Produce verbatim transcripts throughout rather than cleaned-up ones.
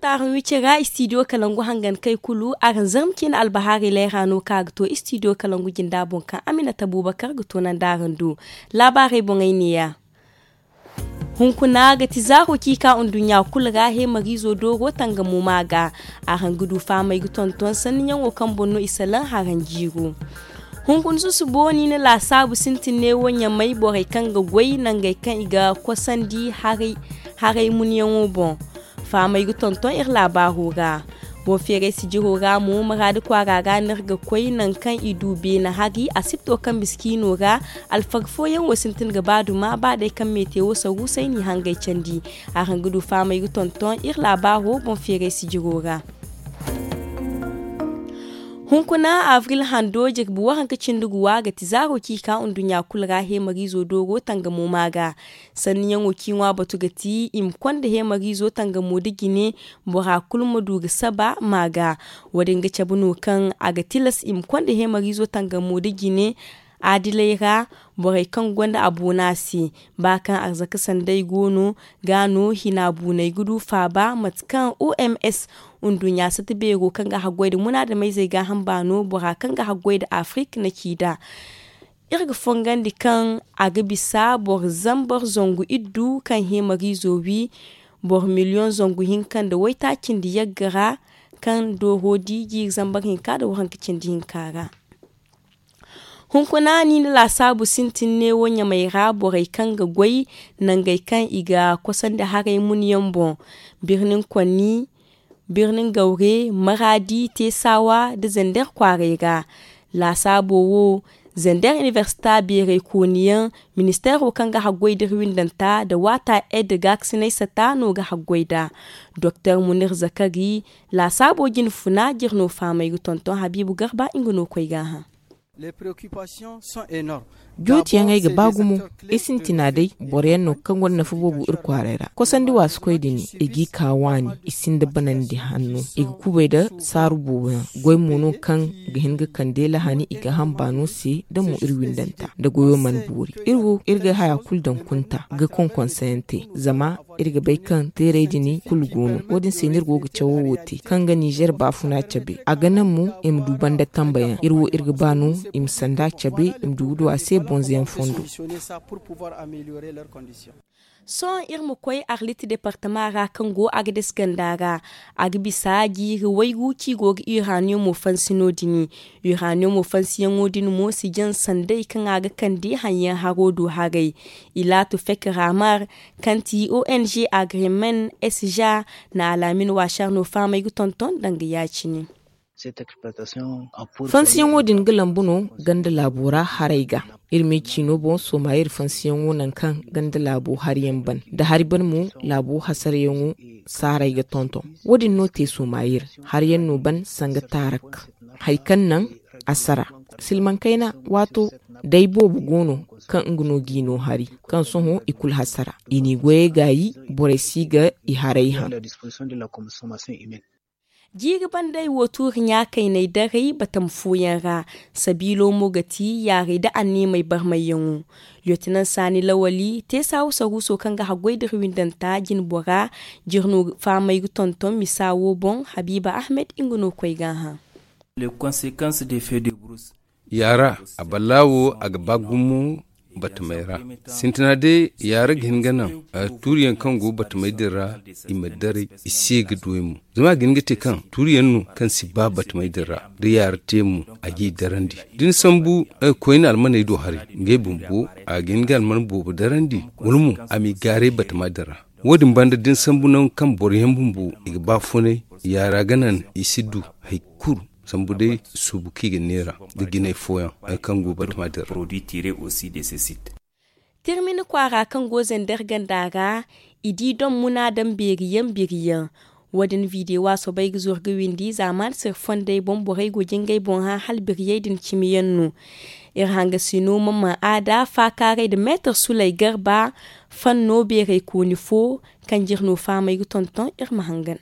Araŋ wi cira istidiyo kalangu hangan kay kulu araŋ zarma ciine albahaari layra no kaŋ a ga to istidiyo kalangu jinda boŋ kaŋ amina tabuubakar ga to naŋ da araŋ du. Laabaarey boŋey neeya. Hunkuna ga ti zaaro kaŋ i ka nduɲɲa kulu ra heemariizo dooro tangamo ma ga. Araŋ ga du fahamey ga tonton sanniyaŋo kaŋ boŋ no i salaŋ haraŋ jiiro. Hunkuna susubo ni na laasaabu sintin neewo ɲamay borey kaŋ ga goy nangey kaŋ i ga kosandi haray munyaŋo boŋ. Fahamey ga tonton iri laabaaro ra. Boŋ feeray sijiro ra mo maraadi kwaara ra no iri ga koy nangu kaŋ i du beene hari asibto kaŋ miskiino ra. Alfaga fooyaŋ wo sintin ga ba duma ba day kaŋ meete wo saruusay n'i hangay candi. Araŋ ga du fahamey ga tonton iri laabaaro boŋ feeray sijiro ra. Hunkuna avril hando jirbi waranka cindi guwa ga ti zaaro kaŋ i ka nduɲɲa kulu ra heemariizo dooro tangamo ma ga. Sanniyaŋo kaŋ i ŋwa batu ga ti i ma konda heemariizo tangamo nda jine bora kulu ma du ga saba ma ga. Wo- din ga cabe no kaŋ a ga tilas i ma konda heemariizo tangamo nda jine adiley ra. Borey kaŋ gonda a boona se ba kaŋ arzaka sanday go no ga no hina buuney ga du faaba mate kaŋ oms nduɲɲa sata beero kaŋ ga haggoy nda munaadameyzey gaaham baano bora kaŋ ga haggoy nda afrik na ci nd'a. Iri ga fongandi kaŋ a ga bisa boro zambar zangu iddu kaŋ heemariizo wi boro miliyoŋ zangu hinka nda waytaaci nda yagga ra kaŋ dooro di jiiri zambar hinka nda waranka cindi hinka ra. Hunkuna ni na laasaabu sintin neewo ɲamay ra borey kaŋ ga goy nangey kaŋ i ga kosandi haray munyaŋ boŋ birnin konni birnin gawre maraadi teesawa nda zander kwaaray ra. Laasaabo wo zander inibersita beeray kooniyaŋ ministeero kaŋ ga haggoy nda iri windanta nda waata ed gaakasinay sata no ga haggoy nd'a. Doktor munir zakari laasaabo jine funa jire no fahamey ga tonton habiibu garba nga no koy ga hã. Jootiyaŋey ga ba gumo. I sintina day boro yaŋ no kaŋ gonda nafa boobo iri kwaaray ra kosandi waasu koy din i g'i ka waani i sinda banandi hanno i ga kubay nda saaru boobo yaŋ goy mo no kaŋ ga hin ga kande lahani i ga hamba no se da mo iri windanta nda goyo mana boori. Iri wo iri ga haya kulu daŋ kunta ga konkonsayaŋ te zama iri ga bay kaŋ teeray din kulu go no wo- din se no iri go ga cawo wo te kaŋ ga nizer baafuna cabe a ga naŋ mo i ma du banda tambayaŋ iri wo iri ga ba no i ma sanda cabe i ma du ga du a se bonzoyaŋ fondo. Sohõ iri ma koy arlit departama ra kaŋ go agades ganda ra. A ga bisa jiiri waygu kaŋ i go ga iraniyomo fansi no- din. Iraniyomo fansiyaŋo din mo si jaŋ sanday kaŋ a ga kande haŋyaŋ haro do haray. Ilaatu fek ramar kaŋ ti ong agreement sja na alaamin waasar no fahamay ga tonton danga ya- cine. Fansiyaŋo din ga lambu no ganda laabo ra haray ga. Iri ma i ciino boŋ sooma iri fansiyaŋo nangu kaŋ ganda laabo hari yaŋ ban da hari ban mo laabo hasarayaŋo saaray ga tonton. Wo- din no te sooma iri hari yaŋ no ban sanga taarak hari kaŋ naŋ a sara silmaŋ kayna waato day boobo go no kaŋ nga no g'i no hari kaŋ sohõ i kulu hasara i n'i goyey gaayi borey si ga i haray haŋ. Jiiri bandey wo tuuri ɲaakayney daray batama fooyaŋ ra. Sabiilo mo ga ti yaaray nda anniimey barmayyaŋo. Liyotinan saani lawali te saawu saruuso kaŋ ga haggoy da iri windanta jinbora. Jiri no fahamay ga tonton misa wo boŋ habiiba ahmed nga no koy ga hã. Yaara a ballaawo a ga ba gumo batamey ra. Sintina day yaara ga hin ga naŋ tuuriyaŋ kaŋ go batamey din ra i ma daray i se ga duwey mo. Zama a ga hin ga te kaŋ tuuriyaŋ no kaŋ si ba batamey din ra da yaara te mo a g'i darandi da ni sambu koyne almaney do haray ngey bumbo a ga hin ga alman boobo darandi wala mo a m'i gaaray batama din ra. Wo- din banda da ni sambu nangu kaŋ boro yaŋ bumbo i ga ba funay yaara ga naŋ i si du hari kulu sambu day suubu kaŋ i ga neera ga jinay fooyaŋ hari kaŋ go batama din ra. Tirmini kwaara kaŋ go zender ganda ra i di dom muna daŋ beeriyaŋ biriyaŋ. Wo- din videwo a soobay ga zuru ga windi zaamaani sirri fondey boŋ borey go jingay boŋ hã hala biriyey din cimiyaŋ no. Iri hangasino ma ma aada faakaaray nda meetar sulay garba fanno beeraykooni fo kaŋ jiri no fahamay ga tonton iri ma hangan.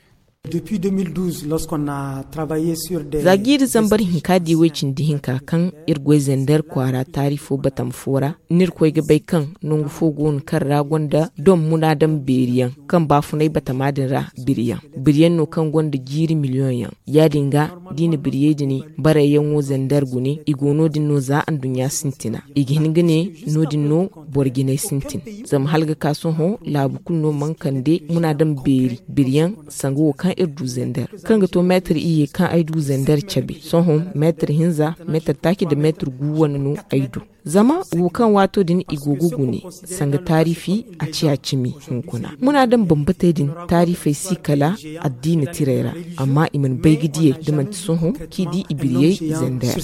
Za jiiri zambar hinka di way cindi hinka kaŋ iri goy zender kwaara taari fo batama fo ra, ni iri koy ga bay kaŋ nangu fo go no kaŋ ra gonda dom munaadam beeri yaŋ kaŋ baafunay batama din ra biri yaŋ. Biri yaŋ no kaŋ gonda jiiri miliyoŋ yaŋ. Ya- din ga, da i na biriyey din barayyaŋo zender gune, i go no- din no za anduɲɲa sintina. I ga hin ga ne, no- din no boro jinay sintin. Zama hala ga ka sohõ, laabu kulu no mana kande munaadam beeri biri yaŋ sanga wo kaŋ iri du zender, kaŋ ga to meetar iyye kaŋ ay du zender cabe. Sohõ meetar hinza, meetar taaci nda meetar gu wane no ay du. Zama wo kaŋ waato din i go ga gune sanga taarifi, a ciya cimi hunkuna. Munaadam bambatey din taarifey si kala addiina tirey ra, amma i mana bay ga diyey da manti sohõ kaŋ i di i biriyey zender.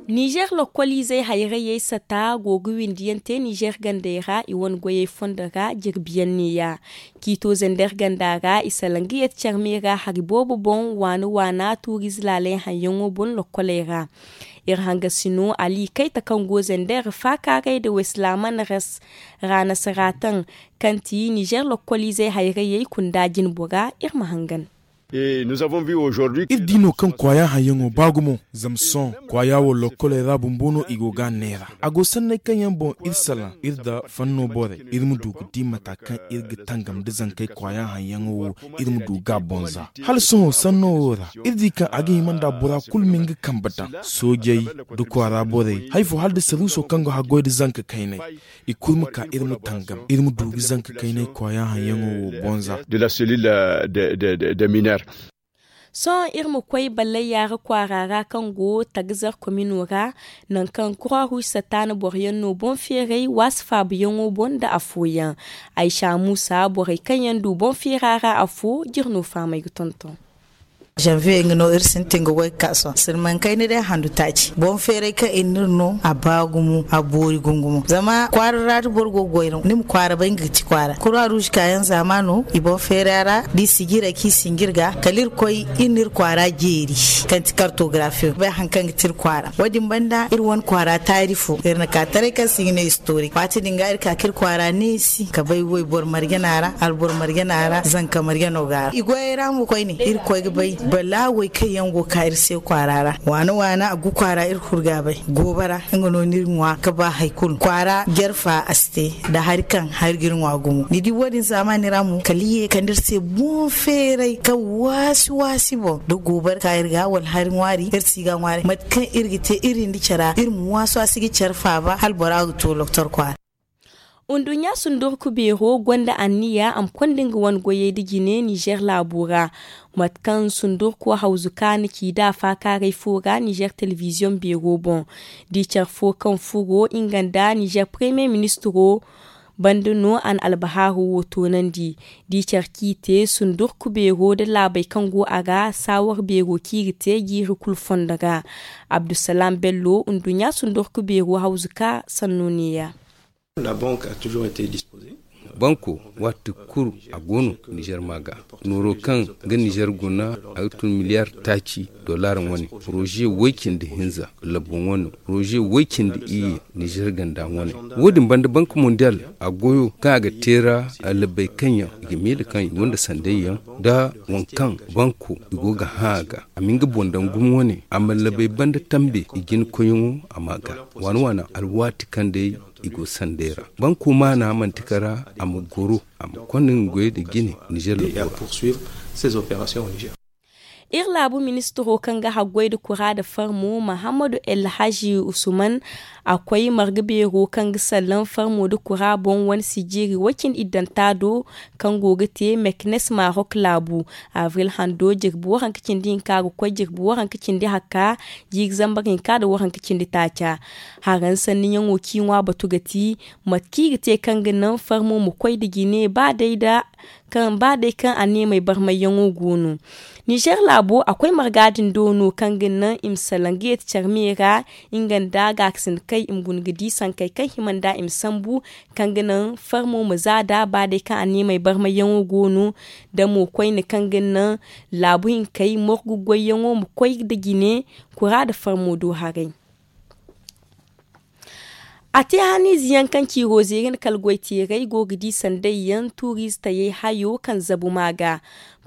Nizer lokoliizey hayrayey sata go ga windiyaŋ te nizer gandey ra i wane goyey fondo ra jirbiyaŋ neeya. Kiito zender ganda ra i salaŋ ga yeti care me ra hari boobo boŋ waana waana tuuriize laaley haŋyaŋo boŋ lokoley ra. Iri hangasino ali kayta kaŋ go zender faakaaray nda waysalaaman ras ra nasara taŋ kaŋ ti nizer lokoliizey hayrayey kunda jinbora. Iri ma hangan. Iri di no kaŋ kwaaya haŋyaŋo ba gumo zama sohõ kwaaya wo lokkoley ra bumbo no i go ga a neera. A go sanney kaŋ yaŋ boŋ iri salaŋ iri nda fanno borey iri ma du ga di mata kaŋ iri ga tangam nda zankey kwaaya haŋyaŋo wo, iri ma du ga a boŋ za. Hala sohõ sanno wo ra iri di kaŋ a ga hima nda bora kulu ma nga kambe daŋ, soojey nda kwaara borey hari fo hala nda saruuso kaŋ ga haggoy nda zanka kaynay. I kulu ma ka iri ma tangam iri ma du ga zanka kaynay kwaaya haŋyaŋo wo boŋ za. Sohõ iri ma koy ballayya ra kwaara ra kaŋ go tagzar komino ra, nangu kaŋ kura huusa taana boro yaŋ no boŋ feeray waasi faabuyaŋo boŋ nda afooyaŋ. Aysa muusa borey kaŋ yaŋ du boŋ feera ra afo jire no fahamay ga tonton. Zanviye nga no iri sintin ga goy ga ka sohõ sirmankayna day handu taaci boŋ feeray kaŋ iri n'iri no a ba gumo a boori gumo gumo zama kwaara ra da boro go ga goy ra ni ma kwaara bay nga ga ci kwaara kura ruuzi kaayaŋ zaama no. I boŋ feera ra da i sijira kaŋ i sinjir ga kala iri koy iri n'iri kwaara jeeri kaŋ ti kartogarafiyo bay hari kaŋ ga ti iri kwaara wo- din banda iri wane kwaara taari fo iri na ka taray kaŋ se i ga ne istorik waati din ga iri ka kaŋ iri kwaara neesi ka bay wayboro marjana ra alboro marjana ra zanka marjano ga ra i goyey ra mo koyne iri koy ga bay balaawey kaŋ yaŋ go ga ka iri se kwaara ra waana waana a gu kwaara iri kulu ga bay goobara nga no ni iri ŋwa ga ba hari kulu kwaara jarfa a si te nda hari kaŋ hari ga iri ŋwa gumo ni di wo- din zaamaani ra mo kala i ye kande iri se boŋ feeray kaŋ waasi waasi boŋ da goobara ka iri ga wala hari ŋwaari iri si ga ŋwaari mate kaŋ iri ga te iri nda care iri ma waasu a si ga care faaba hala bora ga to doktor kwaara. Nduɲɲa sundurku beero gonda anniya a ma konda nga wane goyey nda jine nizer laabo ra. Mate kaŋ sundurko hawzu ka na ci da faakaaray fo ra nizer telebiziyoŋ beero boŋ. Da i care fo kaŋ furo nga nda nizer premiye ministiro banda no a na albahaaro wo toonandi. Da i care kaŋ i te sundurku beero nda laabey kaŋ go a ra saawar beero kaŋ i ga te jiiri kulu fondo ra. Abdusalaam bello nduɲɲa sundurku beero hawzu ka sanno neeya. Banko waati kulu a go no nizer ma ga nooro kaŋ ga nizer guna a ga tun miliyar taaci dollar wane poroze woy cindi hinza labbo wane poroze woy cindi iyye nizer ganda wane. Wo- din banda bank mondiyal a goyo kaŋ a ga teera labey kaŋ yaŋ i ga miila kaŋ i gonda sanday yaŋ nda waŋ kaŋ banko i go ga hã a ga a ma nga boŋ daŋ gumo wane a ma labey banda tambe i jina koyyaŋo a ma ga waana waana alwaati kaŋ day i go sanday ra. Banko maana manti kara a ma goro a ma konda nga goyey nda jine nizer labbora. Iri laabu ministiro kaŋ ga haggoy nda kura nda farmo mahammadu elhaji usuman a koy marga beero kaŋ ga sallaŋ farmo nda kura boŋ wane sijiri woy cindi iddanta do kaŋ go ga te meknes marok laabu avril hando jirbi waranka cindi hinka ga koy jirbi waranka cindi hakka jiiri zambar hinka nda waranka cindi taaca. Haraŋ sanniyaŋo kaŋ i ŋwa batu ga ti mate kaŋ i ga te kaŋ ga naŋ farmo ma koy nda jine ba day da kaŋ ba day kaŋ a neemey barmayyaŋo go no. Nizer laabo a koy marga din do no kaŋ ga naŋ i ma salaŋ ga yeeti care me ra nga nda gaakasinakey i ma guna ga di sankey kaŋ hima nda i ma sambu kaŋ ga naŋ farmo ma za da ba day kaŋ a neemey barmayyaŋo go no. Da mo koyne kaŋ ga naŋ laabu hinkey morgu goyyaŋo ma koy nda jine kura nda farmo do haray. A te haniize yaŋ kaŋ ciiro zeeri nda kala goy teerey go ga di sanday yaŋ tuuriize tayey hayo kaŋ zabu ma ga.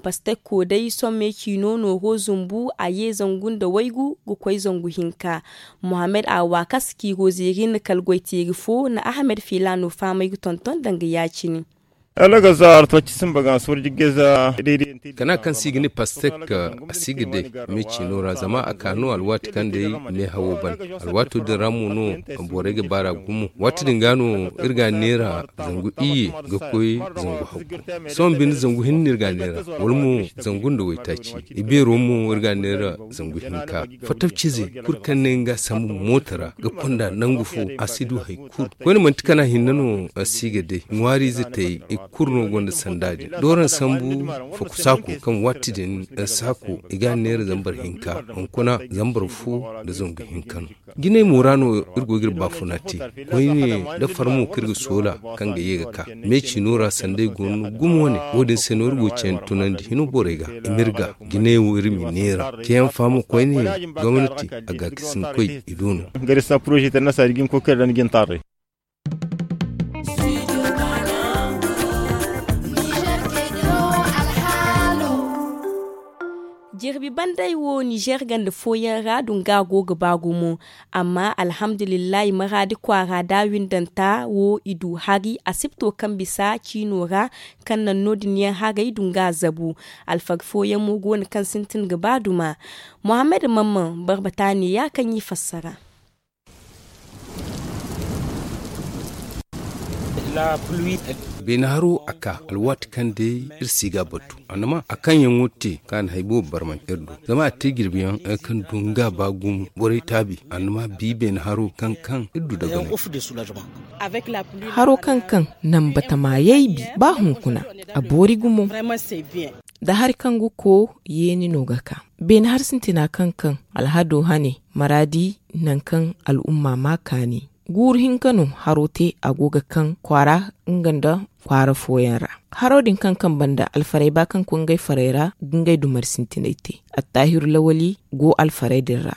Pastekko day sohõ me ciino nooro zumbu a ye zangu nda waygu ga koy zangu hinka. Mohammed a waakasa ciiro zeeri nda kala goy teeri fo na ahamed filaano faamay ga tonton danga ya- cine. Kana kaŋ se i ga ne pastek a si ga day me ciino ra zama a ka no alwaati kaŋ day meehawo ban. Alwaato din ra mo no borey ga baar'a gumo. Waati din ga no iri ga a neera zangu iyye ga koy zangu hakku. Sohõ binde zangu hinne no iri ga a neera wala mo zangu nda waytaaci. Ibeero mo iri ga a neera zangu hinka. Fattaw cize kulu kaŋ ne nga ga sambu mooto ra ga konda nangu fo a si du hari kulu. Koyne manti kana hinne no a si ga day ŋwaariize tayey i kulu no gonda sanda din. Dooran sambu faku saako kaŋ waati din saako i ga a neera zambar hinka hunkuna zambar fo nda zangu hinka no. Jinay mo ra no iri go ga iri baafuna te. Koyne da farmo kaŋ iri ga soola kaŋ ga ye ga ka me ciino ra sanday go no gumo ne. Wo- din se no iri go ga cayandi tunandi hino borey ga i ma iri ga jinay wo iri ma i neera ceeyaŋ faamo koyne gomnati a ga ga sinkoy i do no. Gari sa poroze international ga hin koy kaŋ iri ra ni ga hin taaray. Jirbi banday wo nizer ganda fooyaŋ ra dunga go ga ba gumo. Amma alhamdulillahi maradi kwaara da windanta wo i du hari asibto kaŋ bisa ciino ra kaŋ naŋ no- din yaŋ haray dunga zabu. Alfaga fooyaŋ mo go no kaŋ sintin ga ba duma. Muhammad mamman barbata ne ya kaŋ i fassara. Beene haro a ka alwaati kaŋ day iri si ga a batu annama a kaŋ yaŋo te kaŋ a na hari boobo barmante iri do. Zama a te jirbi yaŋ hari kaŋ du nga ba gumo borey taabi annama bi beene haro kaŋ kaŋ iri du daga no. Haro kaŋ kaŋ naŋ batama yaybi ba hunkuna a boori gumo. Da hari kaŋ ga ko yeeni no ga ka beene hari sintina kaŋ kaŋ alhado hane maraadi nangu kaŋ al'umma ma kaani. Guuru hinka no haro te a go ga kaŋ kwaara nga nda kwaara fooyaŋ ra. Haro din kaŋ kaŋ banda alfarey ba kaŋ koy ngey farey ra ga ngey dumari sintinay te. Attaahiru lawali go alfarey din ra.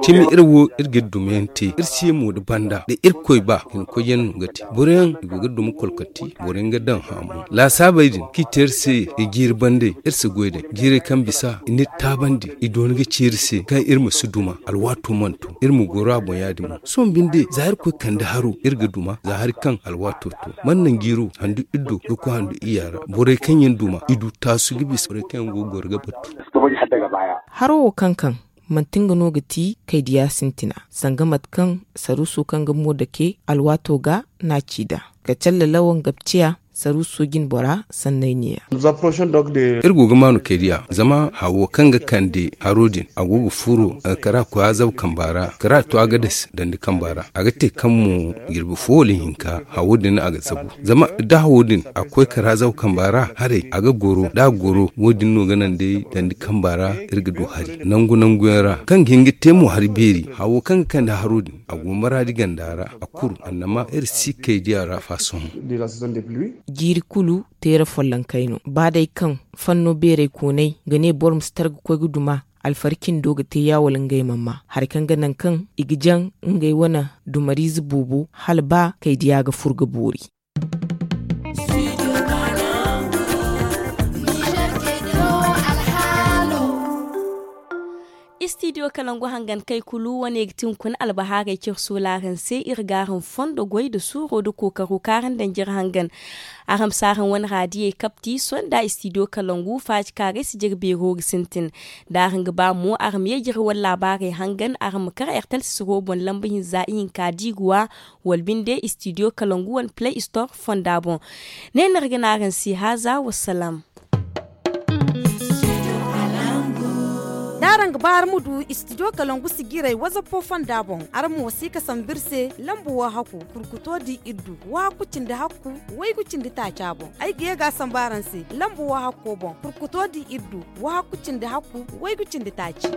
Cimi iri wo iri ga iri dumayaŋ te iri se mo nda banda da irkoy ba hinkoyyaŋ no ga te boro yaŋ i go ga duma kolkati boro yaŋ ga daŋ haamu laasaabey din kaŋ i te iri se i jiiri bandey iri si goy day jiirey kaŋ bisa i n'iri taabandi i doona ga ci iri se kaŋ iri ma si duma alwaato mana to iri ma goro a boŋ ya- din mo sohõ binde za iri koy kande haro iri ga duma za hari kaŋ alwaato to mana naŋ jiiro handu iri do ga koy handu iyya ra borey kaŋ yaŋ duma i du taasu ga bisa borey kaŋ yaŋ go ga goro ga battu. Haro wo kaŋ kaŋ manti nga no ga ti kaydiya sintina sanga mate kaŋ saruuso kaŋ ga mo dake alwaato ga n'a ci nd'a ka calle lawan gabciya saruuso jine bora sanney neeya. Iri go ga maanu kaydiya zama hawo kaŋ ga kande haro din a go ga furo kara koy azabu kamba ra kara to a ga dasi dandi kamba ra a ga te kaŋ mo jirbi fo wala hinka hawo din a ga zabu zama da hawo din a koy kara azabu kamba ra haray a ga goro da a goro wo- din no ga naŋ day dandi kamba ra iri ga du hari nangu nangu yaŋ ra kaŋ ga hin ga te mo hari beeri hawo kaŋ ga kande haro din a go maraadi ganda ra a kuru annama iri si kay diya ra fa sohõ. Jiiri kulu teera follonkey no ba day kaŋ fanno beeray koonay ga ne boro ma si tara ga koy ga duma alfari cindo ga te ya wala ngey mana ma hari kaŋ ga naŋ kaŋ i ga jaŋ ngey wane dumariize boobo hala ba kay diya ga fur ga boori. Istidiyo kalangu hangan kay kulu wane ga ti hunkuna albahaarey cire soolaaraŋ se iri ga araŋ fondo goy nda suuro nda kookaro kaŋ araŋ daŋ jire hangan. Araŋ ma si araŋ wane raadiyey kapti sohõ nda istidiyo kalangu faaci kaŋ araŋ si jire beero ga sintin. Da araŋ ga ba mo araŋ ma ye jire wane laabaarey hangan araŋ ma kar ertel sisiro boŋ lamba hinza ihinka diiguwa wala binde istidiyo kalangu wane play store fonda boŋ. Ne no iri ga ne araŋ se haaza wasalaam. Da araŋ ga ba araŋ ma du istidiyo kalangu sijirey wazappo fonda boŋ araŋ ma wasi ga sambu iri se lamba wahakku kurkuto di iri du wahakku cindi hakku waygu cindi taaca boŋ. Ay ga ye ga a sambu araŋ se lamba wahakko boŋ kurkuto di iri du wahakku cindi hakku waygu cindi taaci.